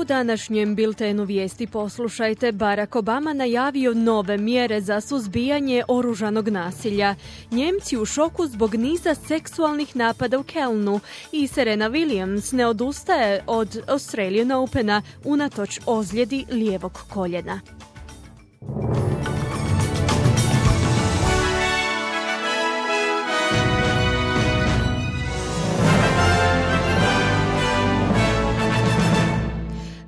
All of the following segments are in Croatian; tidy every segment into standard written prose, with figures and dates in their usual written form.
U današnjem biltenu vijesti poslušajte, Barack Obama najavio nove mjere za suzbijanje oružanog nasilja. Njemci u šoku zbog niza seksualnih napada u Kelnu i Serena Williams ne odustaje od Australian Opena unatoč ozljedi lijevog koljena.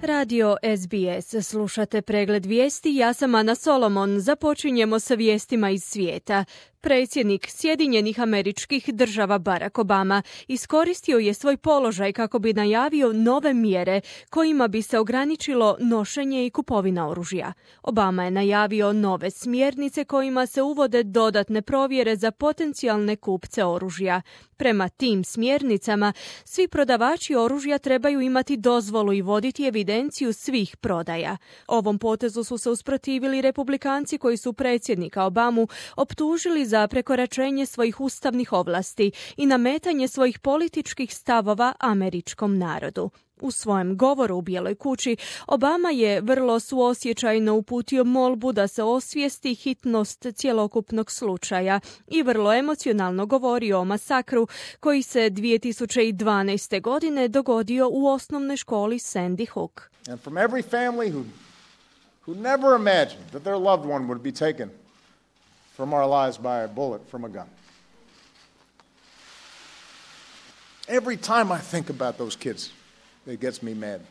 Radio SBS, slušate pregled vijesti, ja sam Ana Solomon. Započinjemo sa vijestima iz svijeta. Predsjednik Sjedinjenih Američkih Država Barack Obama iskoristio je svoj položaj kako bi najavio nove mjere kojima bi se ograničilo nošenje i kupovina oružja. Obama je najavio nove smjernice kojima se uvode dodatne provjere za potencijalne kupce oružja. Prema tim smjernicama, svi prodavači oružja trebaju imati dozvolu i voditi evidenciju svih prodaja. Ovom potezu su se usprotivili Republikanci koji su predsjednika Obamu optužili za prekoračenje svojih ustavnih ovlasti i nametanje svojih političkih stavova američkom narodu. U svojem govoru u Bijeloj kući Obama je vrlo suosjećajno uputio molbu da se osvijesti hitnost cjelokupnog slučaja i vrlo emocionalno govorio o masakru koji se 2012. godine dogodio u osnovnoj školi Sandy Hook. And from every family who never imagined that their loved one would be taken from our lives by a bullet from a gun. Every time I think about those kids, it gets me mad.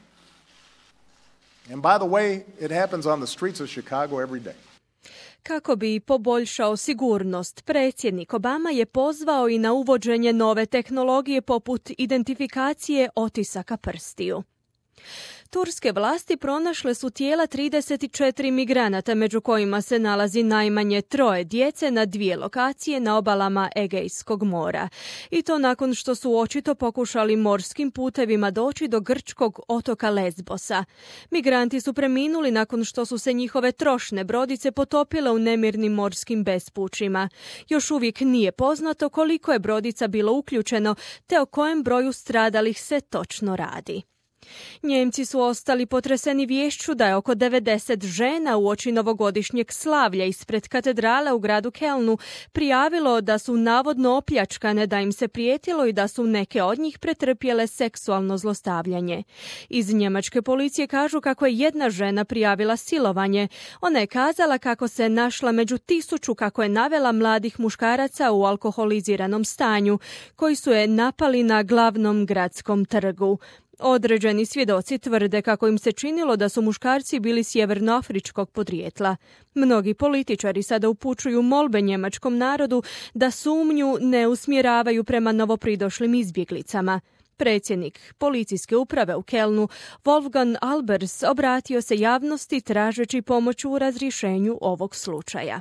And by the way, it happens on the streets of Chicago every day. Kako bi poboljšao sigurnost, predsjednik Obama je pozvao i na uvođenje nove tehnologije poput identifikacije otisaka prstiju. Turske vlasti pronašle su tijela 34 migranata, među kojima se nalazi najmanje 3 djece na 2 lokacije na obalama Egejskog mora. I to nakon što su očito pokušali morskim putevima doći do grčkog otoka Lesbosa. Migranti su preminuli nakon što su se njihove trošne brodice potopile u nemirnim morskim bespućima. Još uvijek nije poznato koliko je brodica bilo uključeno, te o kojem broju stradalih se točno radi. Njemci su ostali potreseni viješću da je oko 90 žena uoči novogodišnjeg slavlja ispred katedrale u gradu Kelnu prijavilo da su navodno opljačkane, da im se prijetilo i da su neke od njih pretrpjele seksualno zlostavljanje. Iz njemačke policije kažu kako je jedna žena prijavila silovanje. Ona je kazala kako se našla među 1000, kako je navela, mladih muškaraca u alkoholiziranom stanju, koji su je napali na glavnom gradskom trgu. Određeni svjedoci tvrde kako im se činilo da su muškarci bili sjevernoafričkog podrijetla. Mnogi političari sada upućuju molbe njemačkom narodu da sumnju ne usmjeravaju prema novopridošlim izbjeglicama. Predsjednik policijske uprave u Kelnu, Wolfgang Albers, obratio se javnosti tražeći pomoć u razrješenju ovog slučaja.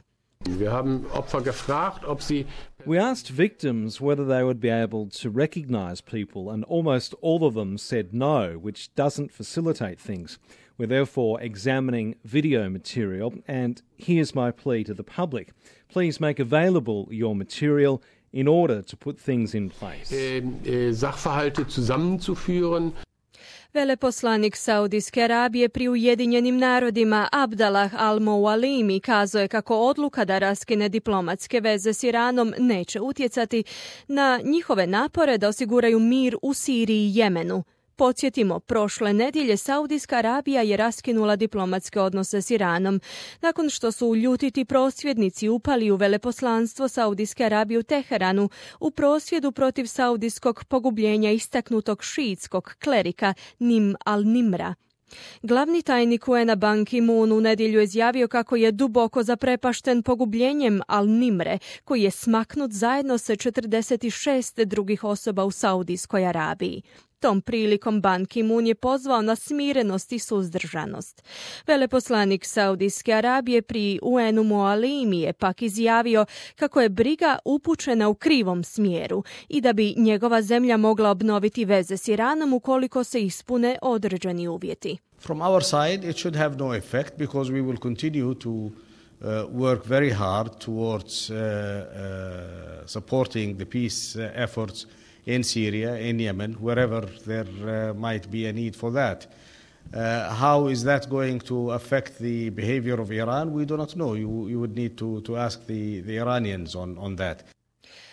We asked victims whether they would be able to recognize people, and almost all of them said no, which doesn't facilitate things. We're therefore examining video material, and here's my plea to the public. Please make available your material in order to put things in place. Sachverhalte zusammenzuführen. Veleposlanik Saudijske Arabije pri Ujedinjenim narodima Abdallah al-Moualimi kazao je kako odluka da raskine diplomatske veze s Iranom neće utjecati na njihove napore da osiguraju mir u Siriji i Jemenu. Podsjetimo, prošle nedjelje Saudijska Arabija je raskinula diplomatske odnose s Iranom, nakon što su ljutiti prosvjednici upali u veleposlanstvo Saudijske Arabije u Teheranu u prosvjedu protiv saudijskog pogubljenja istaknutog šiitskog klerika Nim al-Nimra. Glavni tajnik UN-a Ban Ki-moon u nedjelju je izjavio kako je duboko zaprepašten pogubljenjem al-Nimre, koji je smaknut zajedno sa 46 drugih osoba u Saudijskoj Arabiji. Tom prilikom Ban Ki-moon je pozvao na smirenost i suzdržanost. Veleposlanik Saudijske Arabije pri UN-u Moalimi je pak izjavio kako je briga upućena u krivom smjeru i da bi njegova zemlja mogla obnoviti veze s Iranom ukoliko se ispune određeni uvjeti. From our side it should have no effect because we will continue to work very hard towards supporting the peace efforts in Syria, in Yemen, wherever there might be a need for that. How is that going to affect the behavior of Iran? We do not know. You would need to ask the Iranians on that.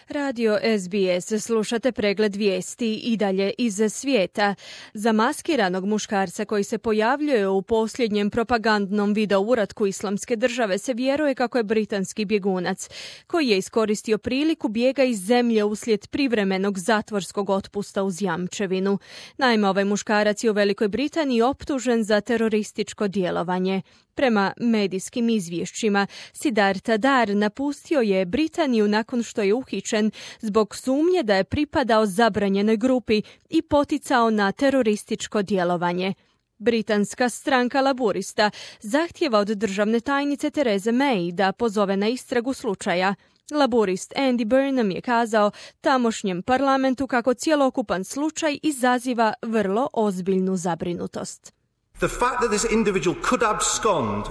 Radio SBS, slušate pregled vijesti i dalje iz svijeta. Za maskiranog muškarca koji se pojavljuje u posljednjem propagandnom video uratku Islamske države se vjeruje kako je britanski bjegunac, koji je iskoristio priliku bijega iz zemlje uslijed privremenog zatvorskog otpusta uz jamčevinu. Naime, ovaj muškarac je u Velikoj Britaniji optužen za terorističko djelovanje. Prema medijskim izvješćima, Siddhartha Dar napustio je Britaniju nakon što je uhićen zbog sumnje da je pripadao zabranjenoj grupi i poticao na terorističko djelovanje. Britanska stranka Laburista zahtijeva od državne tajnice Therese May da pozove na istragu slučaja. Laburist Andy Burnham je kazao tamošnjem parlamentu kako cjelokupan slučaj izaziva vrlo ozbiljnu zabrinutost. The fact that this individual could abscond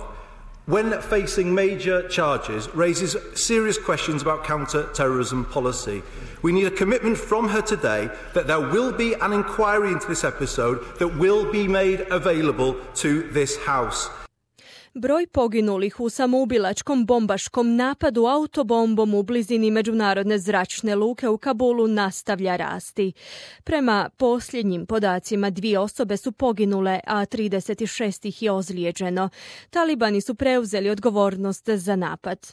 when facing major charges raises serious questions about counter-terrorism policy. We need a commitment from her today that there will be an inquiry into this episode that will be made available to this House. Broj poginulih u samoubilačkom bombaškom napadu autobombom u blizini međunarodne zračne luke u Kabulu nastavlja rasti. Prema posljednjim podacima 2 osobe su poginule, a 36 ih je ozlijeđeno. Talibani su preuzeli odgovornost za napad.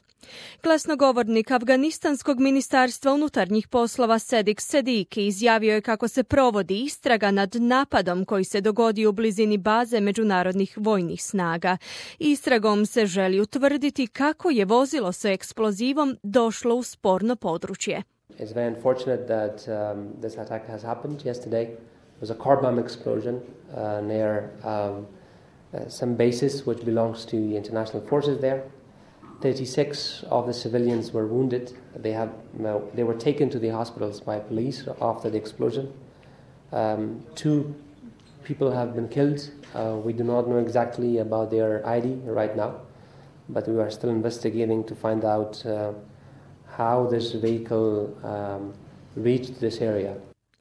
Glasnogovornik Afganistanskog ministarstva unutarnjih poslova Sedik Sediki izjavio je kako se provodi istraga nad napadom koji se dogodio u blizini baze međunarodnih vojnih snaga. Istragom se želi utvrditi kako je vozilo sa eksplozivom došlo u sporno područje. It's very unfortunate that this attack has happened yesterday. It was a car bomb explosion near some bases which belongs to the international forces there. 36 of the civilians were wounded. They were taken to the hospitals by police after the explosion. 2 people have been killed. We do not know exactly about their ID right now, but we are still investigating to find out how this vehicle reached this area.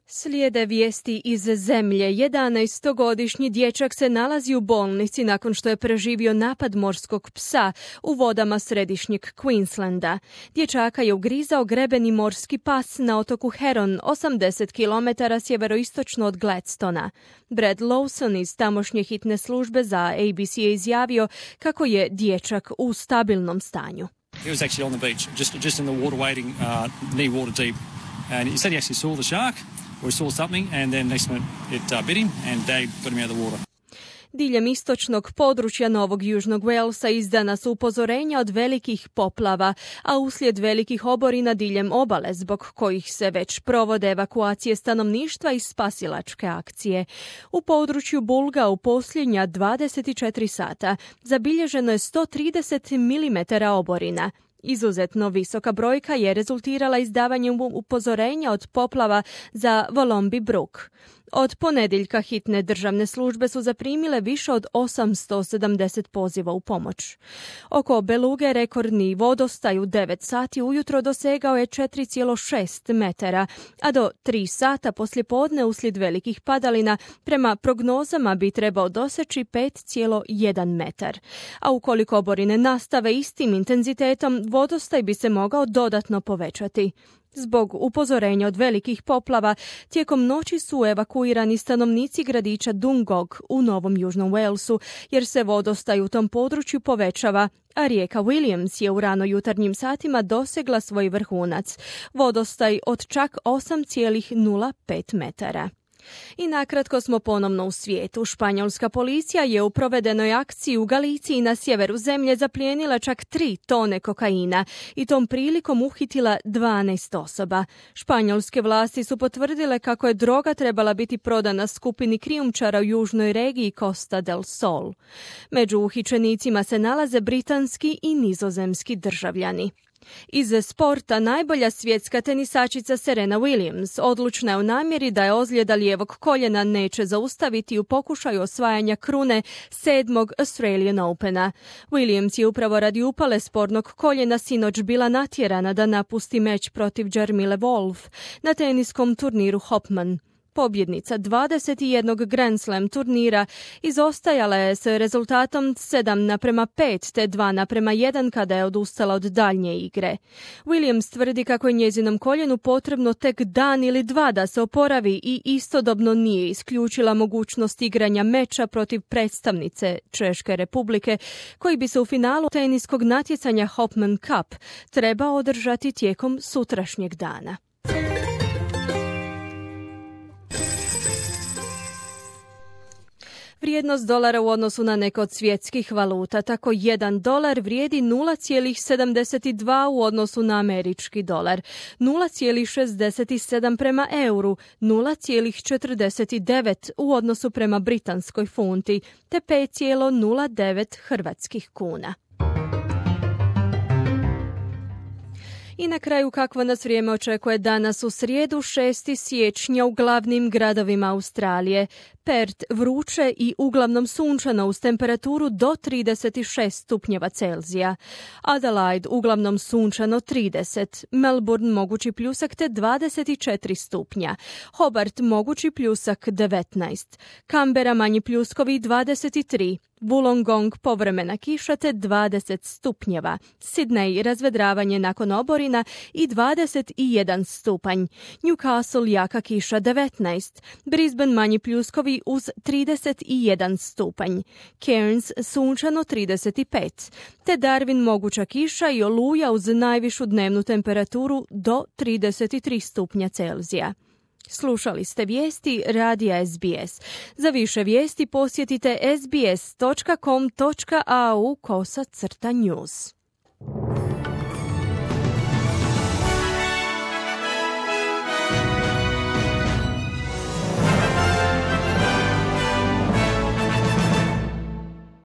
Slijede vijesti iz zemlje. 11-godišnji dječak se nalazi u bolnici nakon što je preživio napad morskog psa u vodama središnjeg Queenslanda. Dječaka je ugrizao grebeni morski pas na otoku Heron, 80 km sjeveroistočno od Gladstona. Brad Lawson iz tamošnje hitne službe za ABC je izjavio kako je dječak u stabilnom stanju. He was actually on the beach, just in the water waiting, knee water deep. And he said he actually saw the shark. We saw something and then next minute it bit him and they got him out of the water. Diljem istočnog područja Novog Južnog Walesa izdana su upozorenja od velikih poplava, a uslijed velikih oborina diljem obale, zbog kojih se već provode evakuacije stanovništva i spasilačke akcije. U području Bulga u posljednja 24 sata zabilježeno je 130 mm oborina. Izuzetno visoka brojka je rezultirala izdavanjem upozorenja od poplava za Volombi Brook. Od ponedjeljka hitne državne službe su zaprimile više od 870 poziva u pomoć. Oko Beluge rekordni vodostaj u 9 sati ujutro dosegao je 4,6 metara, a do 3 sata poslijepodne uslijed velikih padalina prema prognozama bi trebao doseći 5,1 metar. A ukoliko oborine nastave istim intenzitetom, vodostaj bi se mogao dodatno povećati. Zbog upozorenja od velikih poplava, tijekom noći su evakuirani stanovnici gradića Dungog u Novom Južnom Walesu, jer se vodostaj u tom području povećava, a rijeka Williams je u rano jutarnjim satima dosegla svoj vrhunac, vodostaj od čak 8,05 metara. I nakratko smo ponovno u svijetu. Španjolska policija je u provedenoj akciji u Galiciji na sjeveru zemlje zaplijenila čak 3 tone kokaina i tom prilikom uhitila 12 osoba. Španjolske vlasti su potvrdile kako je droga trebala biti prodana skupini krijumčara u južnoj regiji Costa del Sol. Među uhićenicima se nalaze britanski i nizozemski državljani. Iz sporta najbolja svjetska tenisačica Serena Williams odlučna je u namjeri da je ozljeda lijevog koljena neće zaustaviti u pokušaju osvajanja krune 7. Australian Opena. Williams je upravo radi upale spornog koljena sinoć bila natjerana da napusti meč protiv Jarmile Wolf na teniskom turniru Hopman. pobjednica 21. Grand Slam turnira, izostajala je s rezultatom 7:5 te 2:1 kada je odustala od daljnje igre. Williams tvrdi kako je njezinom koljenu potrebno tek dan ili dva da se oporavi i istodobno nije isključila mogućnost igranja meča protiv predstavnice Češke Republike, koji bi se u finalu teniskog natjecanja Hopman Cup trebao održati tijekom sutrašnjeg dana. Vrijednost dolara u odnosu na neke od svjetskih valuta. Tako $1 vrijedi 0,72 u odnosu na američki dolar, 0,67 prema euru, 0,49 u odnosu prema britanskoj funti, te 5,09 hrvatskih kuna. I na kraju kakvo nas vrijeme očekuje danas u srijedu 6. siječnja u glavnim gradovima Australije. Perth vruće i uglavnom sunčano uz temperaturu do 36 stupnjeva Celzija. Adelaide uglavnom sunčano 30. Melbourne mogući pljusak te 24 stupnja. Hobart mogući pljusak 19. Canberra manji pljuskovi 23. Wollongong povremena kiša te 20 stupnjeva. Sydney razvedravanje nakon oborina i 21 stupanj. Newcastle jaka kiša 19. Brisbane manji pljuskovi uz 31 stupanj. Cairns sunčano 35. Te Darwin moguća kiša i oluja uz najvišu dnevnu temperaturu do 33 stupnja Celzija. Slušali ste vijesti radija SBS. Za više vijesti posjetite sbs.com.au/news.